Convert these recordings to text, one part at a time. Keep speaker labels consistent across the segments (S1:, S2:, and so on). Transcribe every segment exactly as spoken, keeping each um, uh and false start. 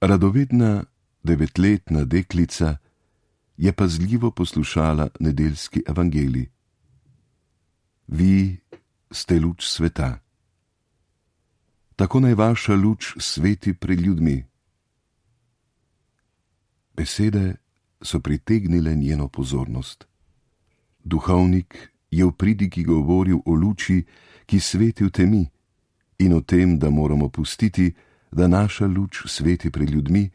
S1: Radovedna devetletna deklica je pazljivo poslušala nedeljski evangelij. Vi ste luč sveta. Tako naj vaša luč sveti pred ljudmi. Besede so pritegnile njeno pozornost. Duhovnik je v pridigi govoril o luči, ki sveti v temi, in o tem, da moramo pustiti, da naša luč sveti pred ljudmi,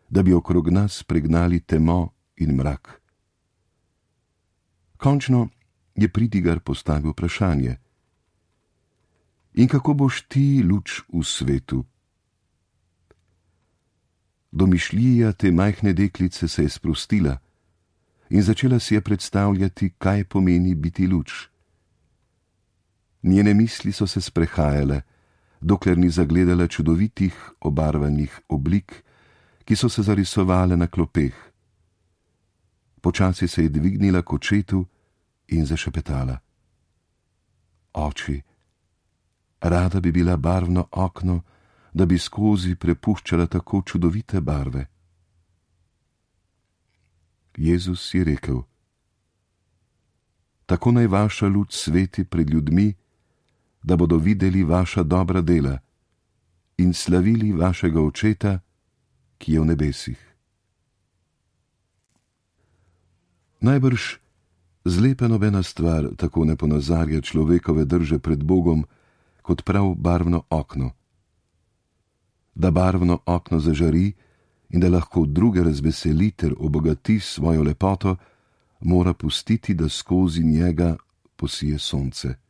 S1: da bi okrog nas pregnali temo in mrak. Končno je pridigar postavil vprašanje. In kako boš ti luč v svetu? Domišljija te majhne deklice se je sprostila in začela si je predstavljati, kaj pomeni biti luč. Njene misli so se sprehajale, dokler ni zagledala čudovitih obarvanih oblik, ki so se zarisovale na klopeh. Počasi se je dvignila k očetu in zašepetala. Oči, rada bi bila barvno okno, da bi skozi prepuščala tako čudovite barve. Jezus je rekel: Tako naj vaša luč sveti pred ljudmi, da bodo videli vaša dobra dela in slavili vašega Očeta, ki je v nebesih. Najbrž zlepa nobena stvar tako ne ponazarja človekove drže pred Bogom, kot prav barvno okno. Da barvno okno zažari in da lahko druge razveseli ter obogati svojo lepoto, mora pustiti, da skozi njega posije sonce.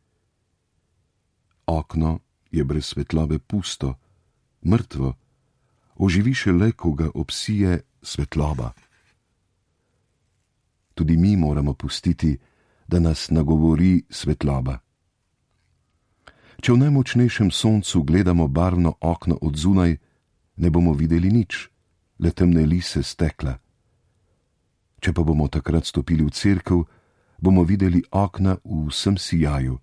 S1: Okno je brez svetlobe pusto, mrtvo, oživi šele, ko ga obsije svetloba. Tudi mi moramo pustiti, da nas nagovori svetloba. Če v najmočnejšem soncu gledamo barvno okno od zunaj, ne bomo videli nič, le temne lise stekla. Če pa bomo takrat stopili v cerkev, bomo videli okna v vsem sijaju.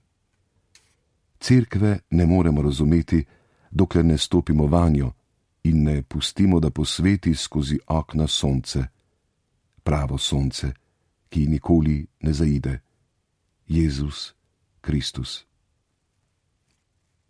S1: Cerkve ne moremo razumeti, dokler ne stopimo vanjo in ne pustimo, da posveti skozi okna sonce, pravo sonce, ki nikoli ne zaide, Jezus Kristus.